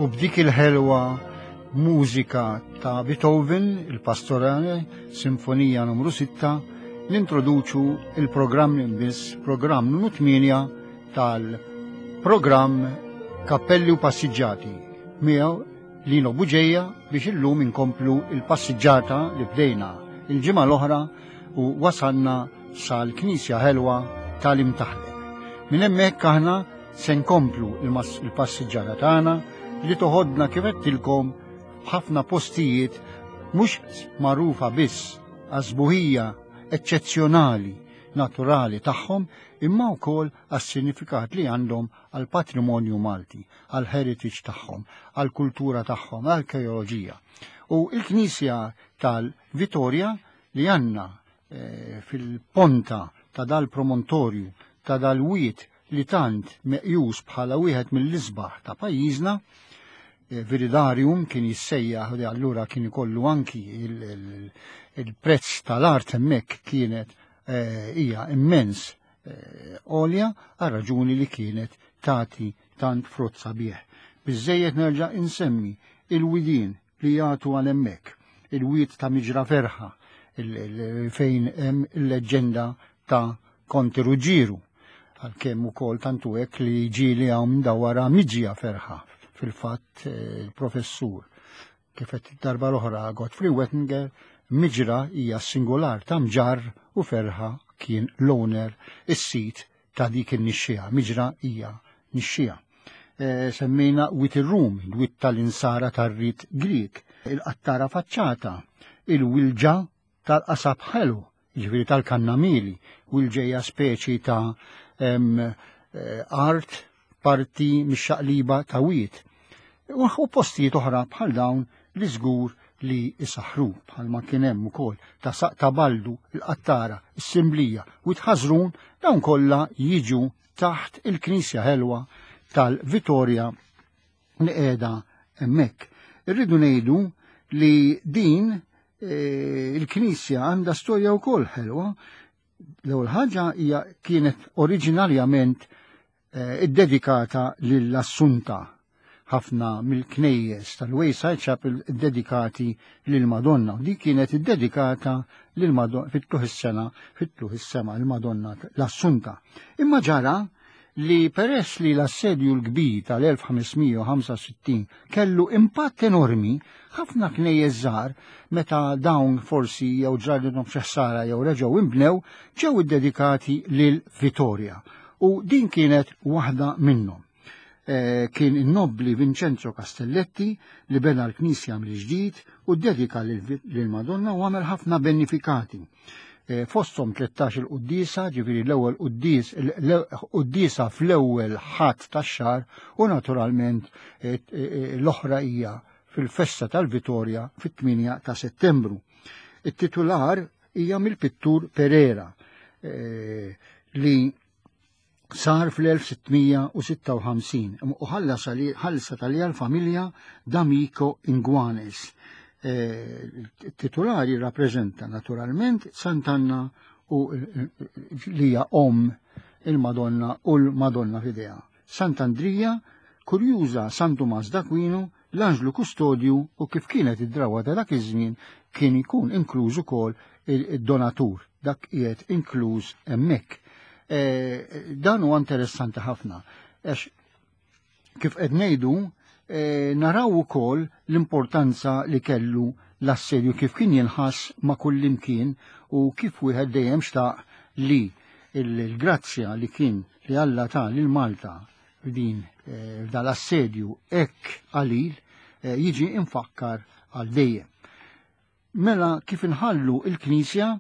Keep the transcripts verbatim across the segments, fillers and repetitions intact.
U b'dik il-ħelwa mużika ta' Beethoven, il-Pastorale, Sinfonija numru sitta, nintroduċu il-programm biss, programm numru tmienja tal-programm Kappelli u Passiġġati. Miegħu Lino Buġeja biex illum inkomplu il-passiġġata li bdejna il-ġimgħa l-oħra u wasalna sal-Knisja Ħelwa tal-Imtaħleb. Minn hemmhekk aħna se nkomplu il-passiġġata tagħna li toħodna kif għedtilkom f'ħafna postijiet mhux magħrufa biss għas-sbuħija eċċezzjonali naturali tagħhom imma wkoll għas-sinifikat li għandhom għal patrimonju Malti, għal heritage tagħhom, għal kultura tagħhom, għal arkeoloġija. U il-Knisja tal-Vitorja li għandna eh, fil-ponta ta' dal-promontorju ta' dal-wied li tant meqjus bħala wieħed mill-isbaħ ta' pajjiżna, eh, Viridarium kien jissejjaħ li allura kien ikollu anki il-prezz tal-art hemmhekk kienet eh, hija immens eh, għolja għal raġuni li kienet tati tant frott sabiħ. Biżejjed nerġa' insemmi il-widien li jagħtu għal hemmhekk, il-wied ta' Miġra Ferħa, fejn hemm il-leġġenda ta' Konti Ruġġieru, għalkemm ukoll tantu hekk li ġieli hawn dawara Miġja Ferħa, fil-fatt il-professur. Kif qed darba l-oħra Godfrey Wettinger, Miġra hija singular ta' mġarr u Ferħa kien l-owner, is-sit ta' dik in-nixxija. Miġra hija nixxija. E, semmejna Wied ir-Rum, wied tal-insara tar-rit Grieg, il-qattara faċċata, il-wilġa tal-qasab ħelu, ġifieri tal-kannamili, wilġeja speċi ta' em, eh, art parti mix-xaqliba ta' wied. U postijiet oħra bħal dawn li żgur li isaħru bħal ma kien hemm ukoll ta' Saq ta' Baldu, il-Qattara, is-Simblija u Tħażrun, dawn kollha jiġu taħt il-Knisja Ħelwa tal-Vitorja li qiegħda hemmhekk. Irridu ngħidu li din eh, il-Knisja għandha storja wkoll ħelwa. L-ewwel ħaġa hija kienet oriġinarjament eh, iddedikata lill-Assunta. Ħafna mill-knejjes tal-Wayside Chapel iddedikati lill-Madonna. Di kienet iddedikata lill-Madonna fit-tuħ is-sena, fit-tuħ is-sema l-Madonna l-Assunta. Imma ġara li peress li l-assedju l-kbir tal-elf ħames mija u ħamsa u sittin kellu impatt enormi, ħafna knejjes żgħar meta dawn forsi jew ġradilhom xi ħsara jew reġgħu inbnew, ġew iddedikati lil Vitorja. U din kienet waħda minnhom. Eh, kien in-nobbli Vincenzo Castelletti li bena l-knisja mill-ġdid u ddedika lil Madonna u għamel ħafna benefikati. Eh, fosthom tlettax il-quddiesa, ġifieri l-ewwel quddies, quddiesa fl-ewwel Ħadd tax-xahar u naturalment, eh, l-oħra hija fil-festa tal-Vitorja fit-tmienja ta' Settembru. It-titular hija mill-pittur Pereira li sar fl-elf sitt mija u sitta u ħamsin u ħallas ħallsa tal familja D'Amico Inguanes. Titolari rappreżenta naturalment Sant'Anna u li hija om il-Madonna u l-Madonna f'idejha. Sant'Andrija, kurjuża San Tumas d'Aquino, l-Anġlu Kustodju u kif kienet id-drawa ta' dak iż-żmien kien ikun inkluż ukoll il-donatur, dak qiegħed inkluż hemmhekk. Eh, dan huwa interessanti ħafna, għax kif qed ngħidu, eh, naraw ukoll l-importanza li kellu l-assedju kif kien jinħass ma' kullimkien u kif wieħed dejjem xtaq li il-grazzja li kien li Alla ta lil Malta f'din, eh, f'dal assedju hekk qalil, jiġi infakkar għal dejjem. Mela kif inħallu il-Knisja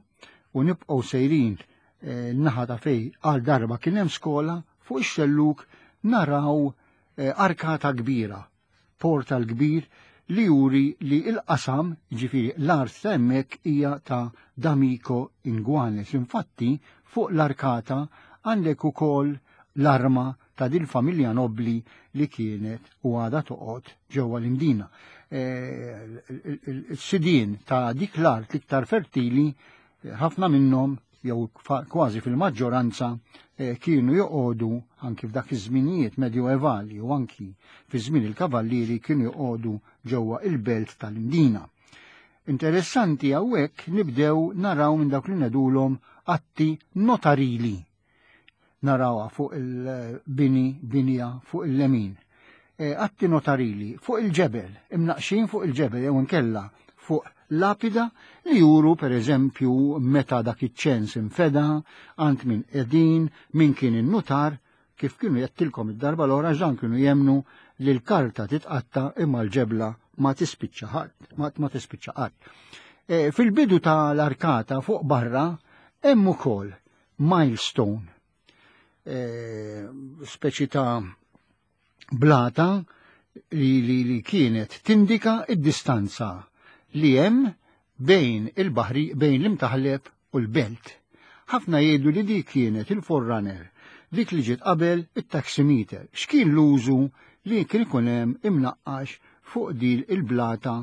u nibqgħu sejrin naħa ta' fej għal darba kien hemm skola, fuq ix-xelluk naraw, eh, arkata kbira, portal kbir li juri li il-qasam, ġifieri l-art ta' hemmhekk hija ta' D'Amico Inguanes. Infatti fuq l-arkata għandek ukoll l-arma ta' dil familja nobli li kienet u għada toqgħod ġewwa l-Imdina. Eh, il-sidien ta' dik l-art l-iktar fertili, ħafna minnhom jew kważi fil-maġġoranza eh, kienu joqogħdu anki f'dak iż-żminijiet medjoevali u anki fi żmien il-kavallieri kienu joqogħdu ġewwa il-belt tal-Imdina. Interessanti hawnhekk nibdew naraw minn dawk li ngħidulhom atti notarili. Narawha fuq il-bini, binja fuq il-lemin. E, atti notarili fuq il-ġebel, imnaqxin fuq il-ġebel jew inkella fuq lapida li juru per eżempju meta dak iċ-ċens infeda, għand min qegħdin, min kien in-nutar, kif kienu jettilkom id-darba l-ora ġan kienu jemnu li l-karta titqatta imma l-ġebla ma tispiċċa ħadd, ma, ma tispiċċa qatt. E, fil-bidu tal-arkata fuq barra hemm ukoll milestone, e, speċi ta' blata li, li, li kienet tindika id-distanza li hemm bejn il-baħri, bejn l-Imtaħleb u l-belt. Ħafna jgħidu li dik kienet il-forerunner, dik li ġiet qabel it-taximeter. X'kien l-użu li kien ikun hemm imnaqqax fuq dil il-blata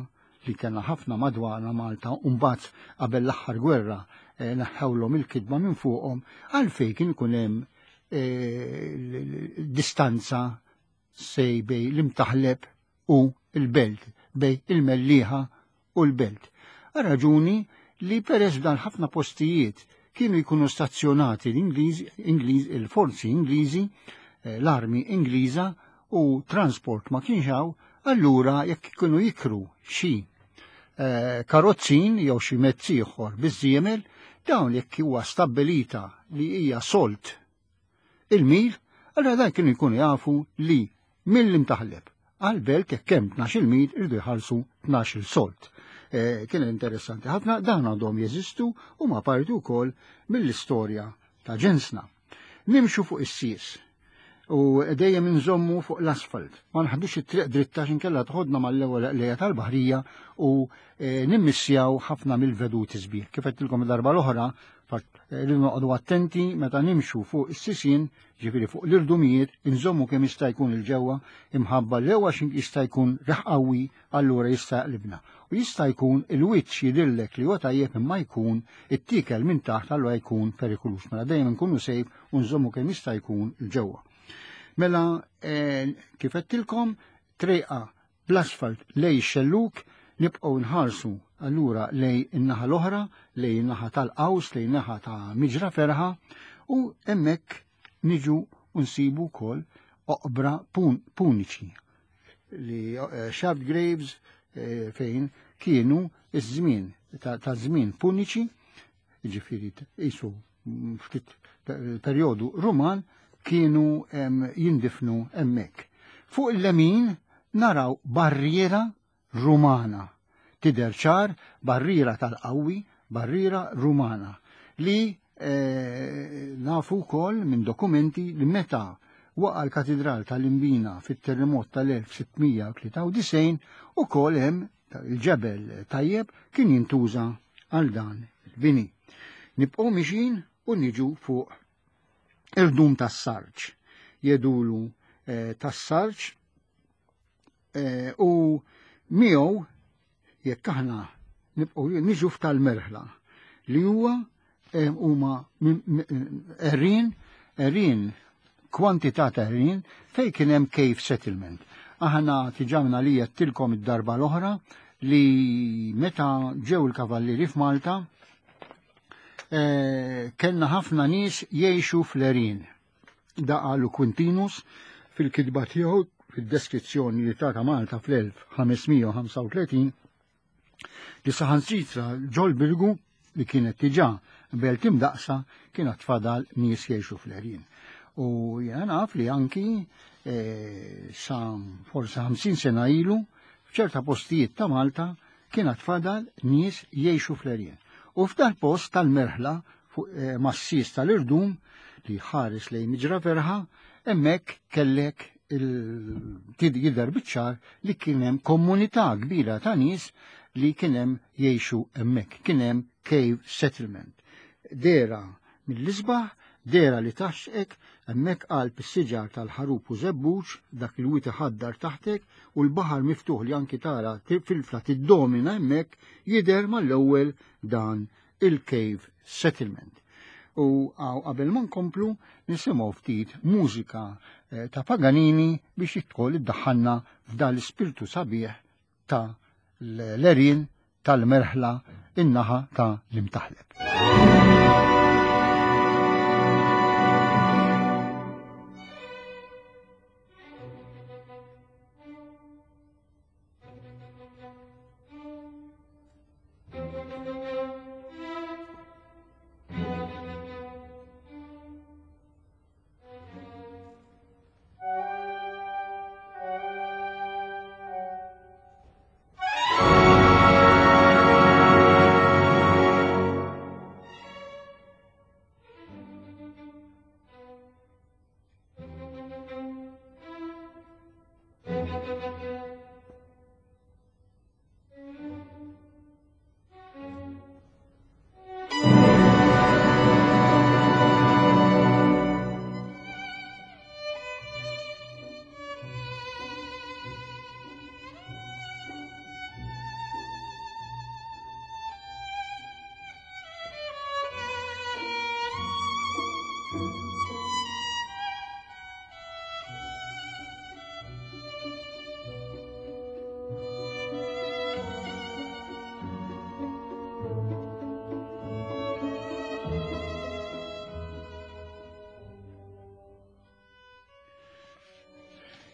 li kellna ħafna madwarna Malta u mbagħad qabel l-aħħar gwerra eh, naħħewlhom il-kitba minn fuqhom, għalfejn kien ikun hemm eh, distanza sej bej l-Imtaħleb u l-belt, bej il-Mellieħa u l-belt. Raġuni li peress dan ħafna postijiet kienu jkunu stazzjonati l-Ingliż, Ingliż, il-forzi Ingliżi, eh, l-armi Ingliża u transport ma kienx hawn, allura jekk kienu jikru xi eh, karozzin jew xi mezz ieħor biż-żiemel, dawn jekk huwa stabbilita li hija solt il-mil, allura dan kienu jkunu jafu li mill-Imtaħleb għal-belt jekk hemm tnax-il mil irdu jħallsu tnax-il solt. Eh, kien interessanti ħafna, dan għandhom jeżistu u ma parti wkoll mill-istorja ta' ġensna. Nimxu fuq is-sies u dejjem inżommu fuq l-asfalt. Ma nħaddux it-triq dritta x'inkella tħodna mal-ewwel lejja tal-baħrija u eh, nimmissjaw ħafna mill-veduti sbieħ. Kif għedtilkom darba l-oħra, rridu noqogħdu attenti meta nimxu fuq is-sisien, ġifieri fuq l-irdumijiet, inżommu kemm jista' jkun il-ġewwa imħabba l-ewwa x'in jista' jkun riħ qawwi, allura jista' jaqlibna. U jista' jkun il-wiċċ jidhirlek li huwa tajjeb imma jkun it-tiekel minn taħt allura jkun perikolus. Mela dejjem nkunu sejf u nżommu kemm jista' jkun il-ġewwa. Mela eh, kif għedtilkom, triqa bl-asfalt lej xelluk, nibqgħu nħarsu allura lej in-naħa l-oħra, lej in-naħa tal-Qaws, lej in-naħa ta' Miġra Ferħa, u hemmhekk niġu nsibu wkoll oqbra puniċi li eh, shaft graves eh, fejn kienu iż-żmien ta' żmien puniċi, jiġifieri qisu ftit perjodu Ruman, kienu jindifnu hemmhekk. Fuq il-lemin naraw barriera Rumana. Tidher ċar barriera tal-qawwi, barriera Rumana, li eh, nafu wkoll minn dokumenti li meta waqa' l-katedral tal-Imbina fit-terremot tal-elf sittmija u tlieta u disgħin ukoll hemm il-ġebel tajjeb kien jintuża għal dan il-bini. Nibqgħu mixin u niġu fuq irdum tas-sarġ. Jedulu eh, tas-sarġ eh, u miegħu jekk aħna nibqgħu niġu f'tal-merħla li huwa eh, huma għerien, għerien, kwantità ta' għerien fejn kien hemm cave settlement. Aħna tiġamna li għedtilkom id-darba l-oħra li meta ġew il-kavallieri f'Malta, eh, kellna ħafna nies jgħixu fl-għerien. Da qalu Quintinus fil-kitba tiegħu fid-deskrizzjoni li tata Malta fl-elf ħamesmija u ħamsa u tletin li saħansitra ġol Birgu li kienet diġà belt imdaqsa kienet tfadal nies jgħixu fl-għerien. U jiena naf li anki, eh, sa forsi ħamsin sena ilu f'ċerta postijiet ta' Malta kienet tfadal nies jgħixu fl-għerien. U f'dal post tal-merħla fuq, eh, massis tal-irdum li ħares lejn Miġra Ferħa, hemmhekk kellek il-tid jidher biċ-ċar li kien hemm komunità kbira ta' nies li kien hemm jgħixu hemmhekk, kien hemm cave settlement. Dera mill-isbaħ, dera li taxxek, hemmhekk qalb is-siġar tal-ħarub u żebbuġ, dak il-wit iħaddar taħtek u l-baħar miftuħ li anki tara fil-fla tiddomina hemmhekk jidher mal-ewwel dan il-cave settlement. U qabel ma nkomplu nisimgħu ftit mużika ta' Paganini biex jidħol iddaħħalna f'dan l-ispirtu sabiħ ta' l-għerien tal-merħla in-naħa ta' l-Imtaħleb.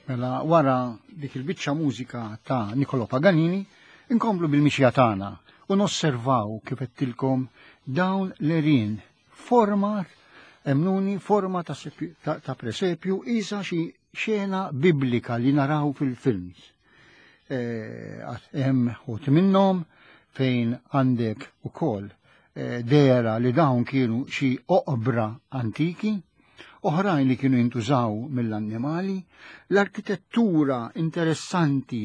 Mela wara dik il-biċċa mużika ta' Niccolò Paganini, inkomplu bil-mixja tagħna u nosservaw kif qedtilkom dawn l-għerien forma emnuni forma ta', ta, ta presepju isa xi xena biblika li naraw fil-films. Hemm ħut minnhom fejn għandek ukoll e, dera li dawn kienu xi oqbra antiki, oħrajn li kienu jintużaw mill-annimali, l-arkitettura interessanti,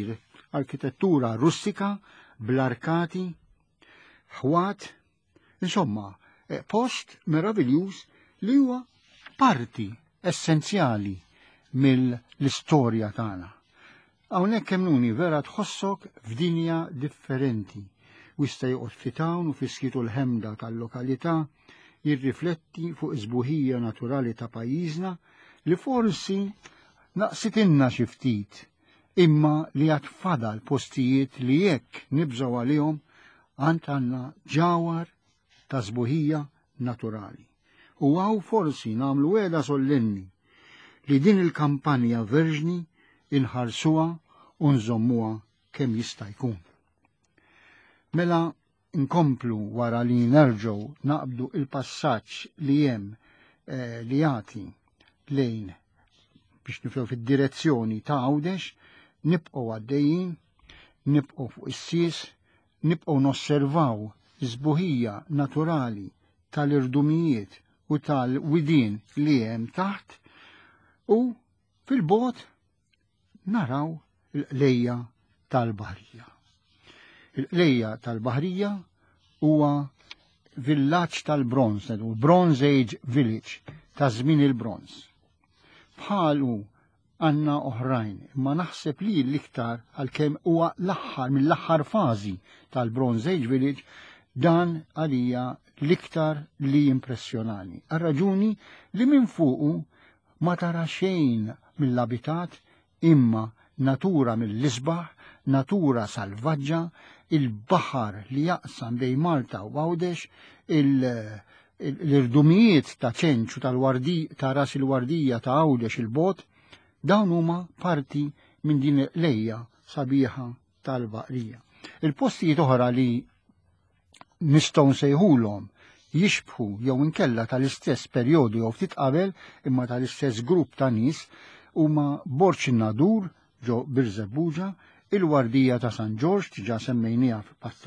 arkitettura russika, bl-arkati, ħwat, insomma, post meraviljuż li huwa parti essenzjali mill-istorja tagħna. Hawnhekk emnuni vera tħossok f'dinja differenti. Wista joqgħod ftit hawn u fiskitu l-ħemda tal-lokalità, jirrifletti fuq iż-sbuħija naturali ta' pajjiżna li forsi naqsitinna xi ftit, imma li għad fadal postijiet li jekk nibżgħu għalihom għand għandna ġawhar ta' sbuħija naturali. U għaw forsi nagħmlu wegħda sollenni li din il-kampanja verġni inħarsuha u nżommuha kemm jista' jkun. Mela nkomplu wara li nerġgħu naqbdu il-passaġġ li hemm eh, li jagħti lejn biex niflew fid-direzzjoni ta' Għawdex, nibqgħu għaddejjin, nibqgħu fuq is-sies, nibqgħu nosservaw iż-sbuħija naturali tal-irdumijiet u tal-widien li hemm taħt u fil-bogħod naraw il-qlejja tal-Baħrija. Il-qlejja tal-Baħrija huwa villaġġ tal-Bronz, Bronze Age Village, ta' żmien il-Bronz. Bħalu għandna oħrajn, imma naħseb li l-iktar għalkemm huwa l-aħħar mill-aħħar fażi tal-Bronze Age Village, dan għalija l-iktar li impressjonani. Għal raġuni li minn fuqu ma tara xejn mill-abitat imma natura mill-isbaħ, natura salvaġġa, il-baħar li jaqsam bejn Malta u Għawdex, l-irdumijiet ta' ċenċu tal-wardi ta' ras il-wardija ta' Għawdex il-bot, dawn huma parti minn din lejja sabiħa tal-Baħrija. Il-postijiet oħra li nistgħu nsejħulhom jixbħu jew inkella tal-istess perjodu jew ftit qabel imma tal-istess grupp ta' nies huma Borġ in-Nadur ġo Birżebbuġa, il-Wardija ta' San Ġorġ diġà semmejniha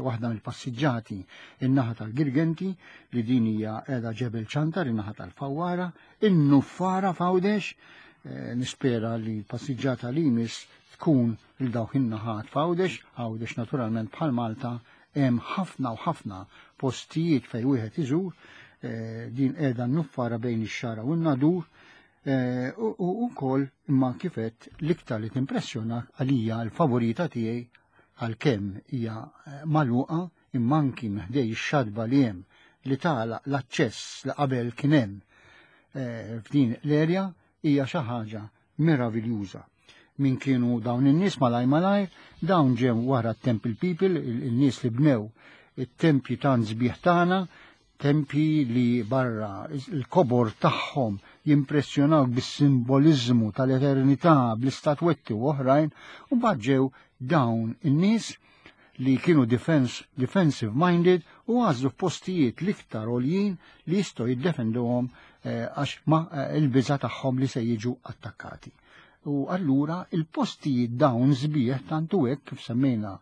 waħda mill-passiġġati in-naħa tal-Girgenti li din hija qiegħda Ġebel Ċantar in-naħa tal-Fawwara, in-Nuffara f'Għawdex, nispera li l-passiġġata li jmiss tkun il dawk in-naħat f'Għawdex. Għawdex naturalment bħal Malta hemm ħafna u ħafna postijiet fejn wieħed iżur, din qiegħda n-Nuffara bejn ix-Xara u n-Nadur, u wkoll imma kifet l-iktar li timpressjonak għalija l-favorita tiegħi għalkemm hija magħluqa imma anki ħdej ix-xatba li hemm li tagħlaq l-aċċess li qabel kien hemm eh, f'din l-erja hija xi ħaġa meraviljuża. Min kienu dawn in-nies malaj malajr, dawn ġew wara t-Temple People, il-nies li bnew it-tempji tant sbieħ tagħna, tempji li barra il-kobor tagħhom jimpressjonawk bis-simboliżmu tal-eternità, bl-istatwetti u oħrajn, u mbagħad ġew dawn in-nies li kienu defense, defensive minded u għażlu postijiet l-iktar għoljin li jistgħu jiddefenduhom eh, għax ma eh, il-biża tagħhom li se jiġu attakkati. U allura il-postijiet dawn sbieħ tantu hekk kif semmejna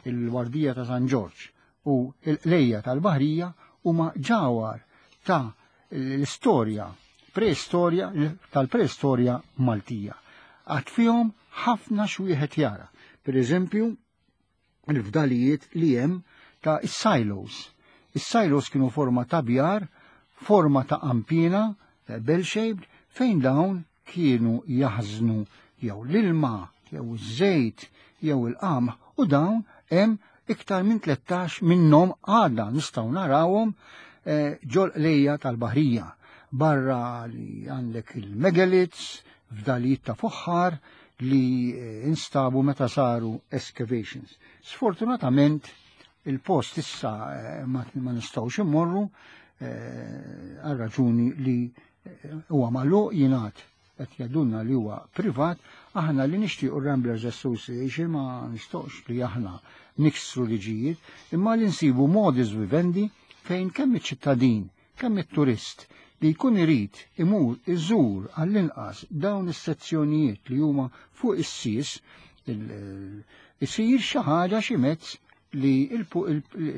il-Wardija ta' San Ġorġ u l-Lejja tal-Baħrija huma ġawar ta' l-istorja, preistorja, tal-preistorja Maltija. Għad fihom ħafna xwieħed jara. Per eżempju, il-fdalijiet li hemm ta' is-silos. Is-silos kienu forma ta' bjar, forma ta' ampina, bell-shaped, fejn dawn kienu jaħżnu jew l-ilma, jew iż-żejt, jew il-qamħ, u dawn hemm iktar minn tlettax minnhom għadha nistgħu narawhom eh, ġol lejja tal-Baħrija. Barra li għandek il-megaliths, fdalijiet ta' fuħħar li eh, instabu meta saru excavations. Sfortunatament il-post issa eh, ma, ma nistgħux immorru eh, għal raġuni li huwa magħluq, jingħad qed jgħidulna li huwa privat, aħna li nixtiequ Ramblers Association ma nistgħux li aħna niksru liġijiet, imma li nsibu modus vivendi fejn kemm iċ-ċittadin, kemm it-turist li jkun irid imur iżur għall-inqas dawn is-sezzjonijiet li huma fuq is-sis, isir xi ħaġa xi mezz li,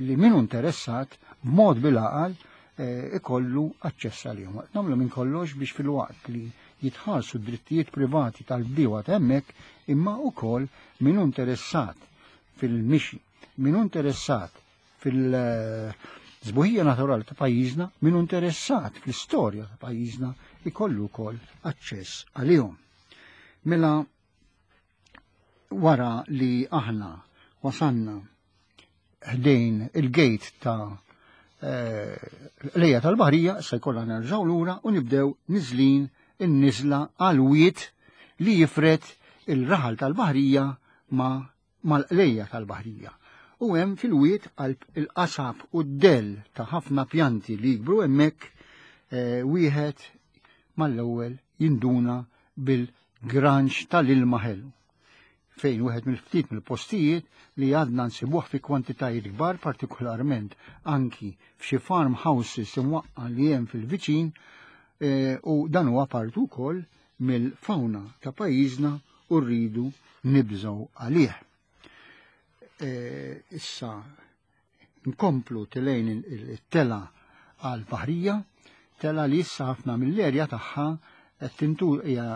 li min interessat b'mod bil-għaqal eh, ikollu aċċess għalihom. Nagħmlu minn kollox biex fil-waqt li jitħarsu d-drittijiet privati tal-bdiewa hemmhekk, imma wkoll min interessat fil-mixi, min interessat fil-żbuħija naturali ta' pajjiżna, min interessat fl-istorja ta' pajjiżna ikollu wkoll aċċess għalihom. Mela wara li aħna wasanna ħdejn il-gate ta' eh, lejja tal-Baħrija, se jkollna nerġgħu lura u nibdew niżlin in-niżla għal wied li jifred il-raħal tal-Baħrija ma mal-qlejja tal-Baħrija. U hemm fil-wied qalb il-qasab u d-del ta' ħafna pjanti li jikbru hemmhekk eh, wieħed mal-ewwel jinduna bil-granċ tal-ilma ħelu, fejn wieħed mill-ftit mill-postijiet li għadna nsibuh fi kwantitajiet kbar, partikolarment anki f'xi farmhouses imwaqqa li hemm fil-viċin, eh, u dan huwa partu wkoll mill-fauna ta' pajjiżna u rridu nibżgħu għalih. Eh, issa nkomplu telejn il-tela għal-Baħrija, tela li issa ħafna mill-erja tagħha qed tintur hija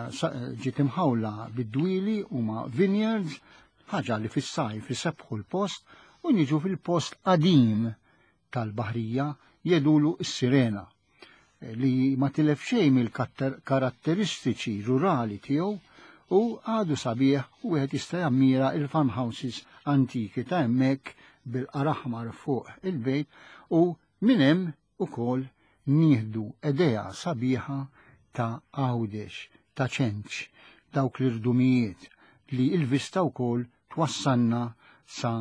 ġiet imħawla bid-dwieli u ma' vineyards, ħaġa li fis-sajf isebħu l-post, u niġu fil-post qadim tal-Baħrija jedulu s-Sirena, li ma tilef xejn mill-karatteristiċi rurali tiegħu u għadu sabiħ u wieħed jista' jammira il-farmhouses antiki ta' hemmhekk bil-qaraħmar fuq il-bejt, u minn hemm ukoll nieħdu idea sabiħa ta' Għawdex, ta' Ċenċ, dawk l-irdumijiet li il-vista wkoll twassanna sa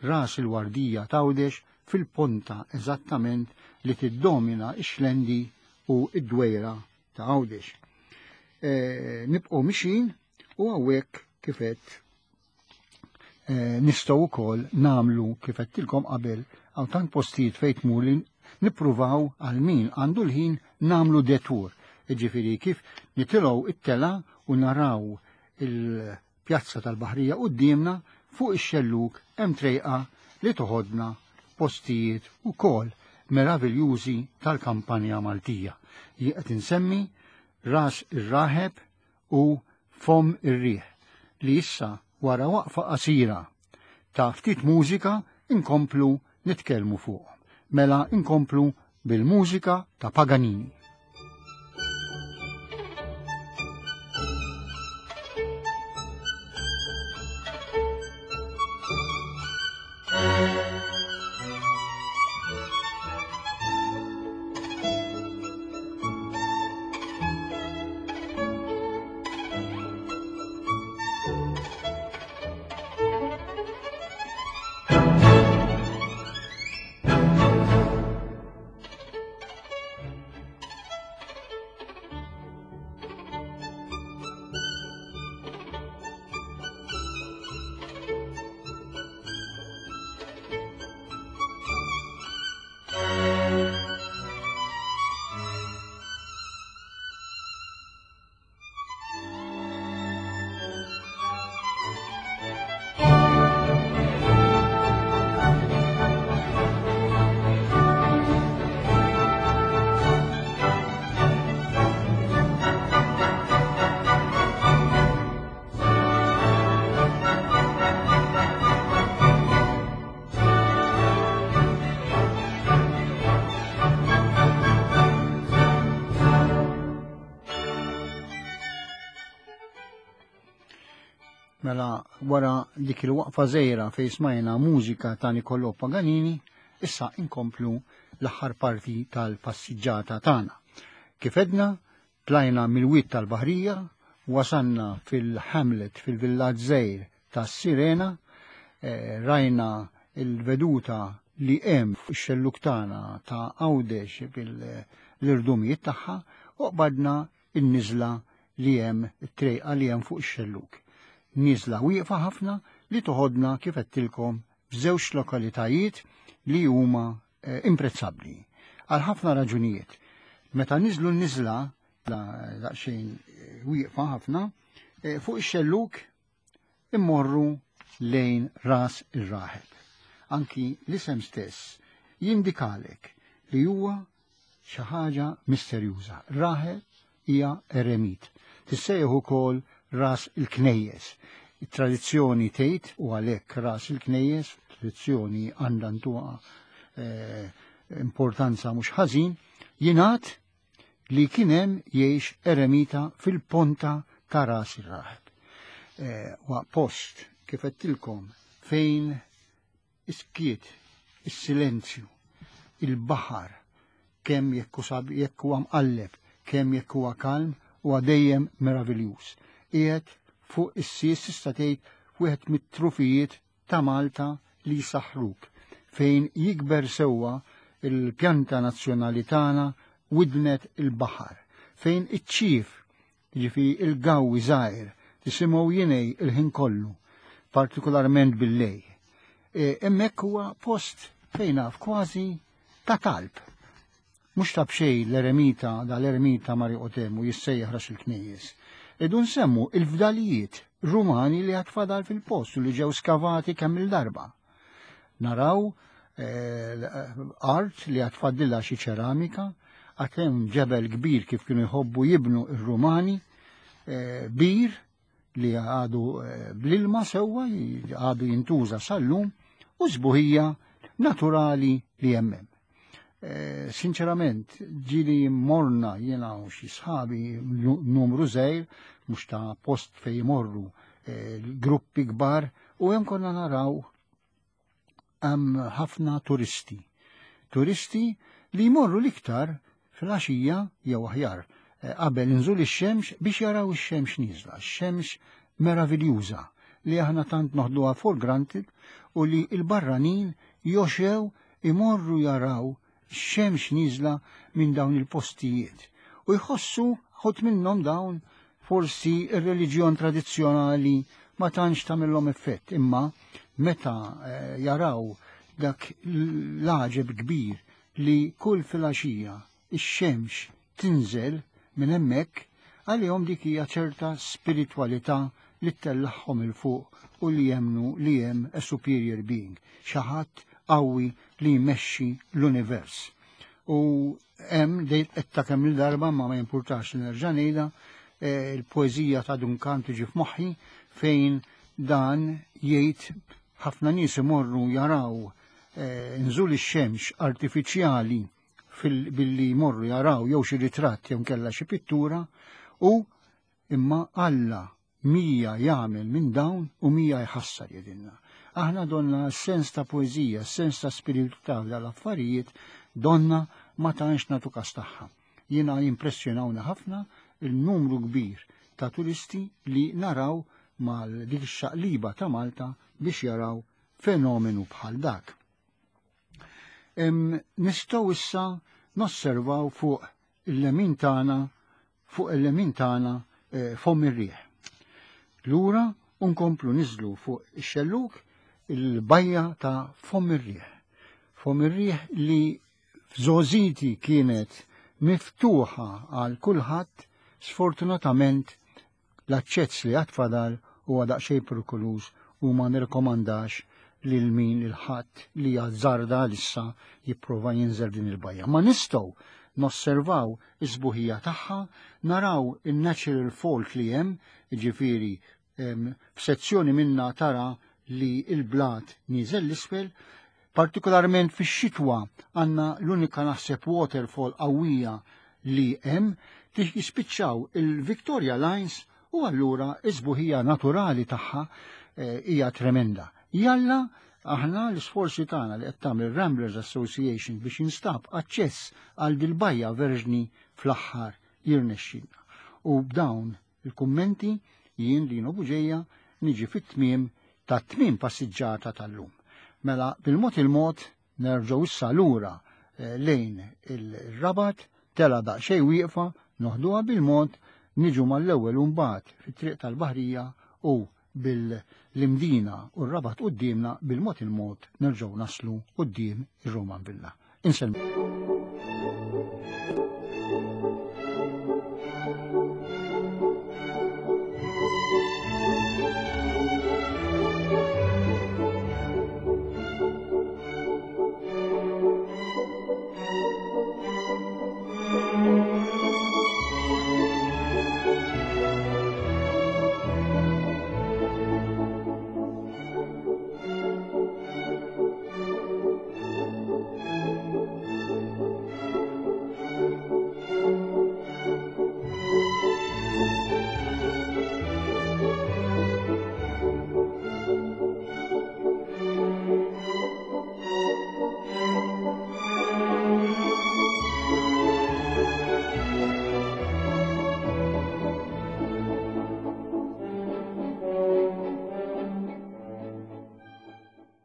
ras il-Wardija ta' Għawdex fil-ponta eżattament li tiddomina x-Xlendi u id-Dwejra ta' Għawdex. E, nibqgħu mixin u hawnhekk kifet e, nistgħu wkoll nagħmlu kif għedtilkom qabel hawn tant postijiet fejn tmur li nippruvaw għal min għandu l-ħin nagħmlu detour. Jiġifieri kif nitilgħu it-tela u naraw il-pjazza tal-Baħrija quddiemna fuq ix-xelluk hemm trejqa li toħodna postijiet ukoll meraviljużi tal-kampanja Maltija. Jien qed insemmi Ras ir-Raħeb u Fom ir-Riħ, li issa wara waqfa qasira ta' ftit mużika inkomplu nitkellmu fuq. Mela inkomplu bil-mużika ta' Paganini. Mela wara dik il-waqfa żgħira fejn smajna mużika ta' Niccolò Paganini, issa inkomplu l-aħħar parti tal-passiġġata tagħna. Kif edna, tlajna mill-wied tal-Baħrija, wasanna fil-Hamlet, fil-villaġġ żgħir tas-Sirena, eh, rajna il-veduta li hemm fuq ix-xelluk tagħna ta' Għawdex bil-irdumijiet tagħha u qbadna n-niżla li hemm it-trejqa li hemm fuq ix-xelluk. Niżla wieqfa ħafna li toħodna kif għedtilkom f'żewġ lokalitajiet li huma eh, imprezzabbli għal ħafna raġunijiet. Meta niżlu n-niżla daqsxejn eh, wieqfa ħafna, eh, fuq ix-xelluk immorru lejn Ras ir-Raħeb. Anki l-isem stess jindikalek li huwa xi ħaġa misterjuża. Raħeb hija eremit. Tissejjaħ ukoll Ras il-Knejjes. It-tradizzjoni tgħid u għalhekk Ras il-Knejjes, tradizzjoni għandha ntuha eh, importanza mhux ħażin, jingħad li kien hemm jgħix eremita fil-ponta ta' Ras ir-Raħeb. Eh, wa post kif għedtilkom fejn is-skiet, is-silenzju, il-baħar, kemm jekk sab jekk huwa mqalleb, kemm jekk huwa kalm, huwa dejjem meraviljuż. Qiegħed fuq is-sies tista' tgħid wieħed mit-trufijiet ta' Malta li jsaħħruk, fejn jikber sewwa il-pjanta nazzjonali tagħna widnet il-baħar, fejn iċ-ċif, jiġifieri il-gawwi żgħir, tisimgħu jinej il-ħin kollu, partikolarment bil-lejl. Hemmhekk huwa post fejn naf kważi ta' talb. Mhux ta' b'xejn l-eremita, dal-eremita Mario Otemu jissejjaħ Ras il-Knejjes. Idu nsemmu il-fdalijiet Rumani li għad fadal fil-post u li ġew skavati kemm il-darba. Naraw eh, art li għad fadlilha xi ċeramika, għad hemm ġebel kbir kif kienu jħobbu jibnu ir-Rumani, eh, bir li għadu eh, bl-ilma sewwa, għadu jintuża sal-lum, u sbuħija naturali li hemm. Eh, sinċerament, ġili morna jena u xi sħabi numru żgħir, mhux ta' post fej jmorru eh, gruppi kbar, u hemm konna naraw hemm ħafna turisti. Turisti li jmorru l-iktar fil-għaxija jew aħjar eh, qabel inżul ix-xemx biex jaraw ix-xemx nieżla, x-xemx meraviljuża li aħna tant noħduha for granted u li l-barranin joxew imorru jaraw xemx nieżla minn dawn il-postijiet u jħossu ħut minnhom dawn forsi ir-reliġjon tradizzjonali ma tantx tagħmilhom effett, imma meta eh, jaraw dak l-għaġeb kbir li kull filgħaxija ix-xemx tinżel minn hemmhekk, għalihom dik hija ċerta spiritwalità li tellagħhom 'il fuq u li jemnu li hemm a superior being, xi ħadd qawwi li jmexxi l-univers. U hemm dejt qed ta' kemm il-darba ma ma jimpurtax li nerġa' ngħidha, eh, il-poeżija ta' Duncan tiġi f'moħħi fejn dan jgħid ħafna nies imorru jaraw eh, nżul ix-xemx artifiċjali billi jmorru jaraw jew xi ritratt jew kella xi pittura u imma Alla mija jagħmel minn dawn u mija jħassar jedinna. Aħna donna sens ta' poeżija, sens ta' spiritualità dal-affarijiet donna ma tantx nagħtu kas tagħha. Jiena jimpressjonawna ħafna il-numru kbir ta' turisti li naraw mal dik ix-xaqliba ta' Malta biex jaraw fenomenu bħal dak. Nistgħu issa nosservaw fuq il-lemin tagħna fuq il-lemin tagħna eh, Fomm ir-Riħ. Lura unkomplu niżlu fuq ix-xelluk il-bajja ta' Fomm ir-Riħ. Fomm ir-Riħ li f'żgħożiti kienet miftuħa għal kulħadd, sfortunatament l-aċċess li għad fadal huwa daqsxejn perikoluż u ma nirkomandax lil min il-ħadd li jazzarda issa jipprova jinżel din il-bajja. Ma nistgħu nosservaw is-sbuħija tagħha, naraw il-natural fault li hemm, jiġifieri f'sezzjoni minna tara li il-blat niżel l-isfel, partikolarment fix-xitwa għandna l-unika naħseb waterfall qawwija li hemm, jispiċċaw il-Victoria Lines U allura is-sbuħija naturali tagħha eh, hija tremenda. Jalla aħna l-isforzi tagħna li qed tagħmel Ramblers Association biex jinstab aċċess għal dil-bajja verġni fl-aħħar jirnexxilna. U b'dawn il-kummenti jien, Lino Buġeja, niġi fit-tmiem ta' tmiem passiġġata tal-lum. Mela bil-mod il-mod nerġgħu issa lura eh, lejn il-Rabat, telgħa daqsxejn wieqfa, noħduha bil-mod, niġu mal-ewwel mbagħad fit-triq tal-Baħrija u bil-Imdina u r-Rabat quddiemna, bil-mod il-mod nerġgħu naslu quddiem ir-Roman Villa. Insellmilkom.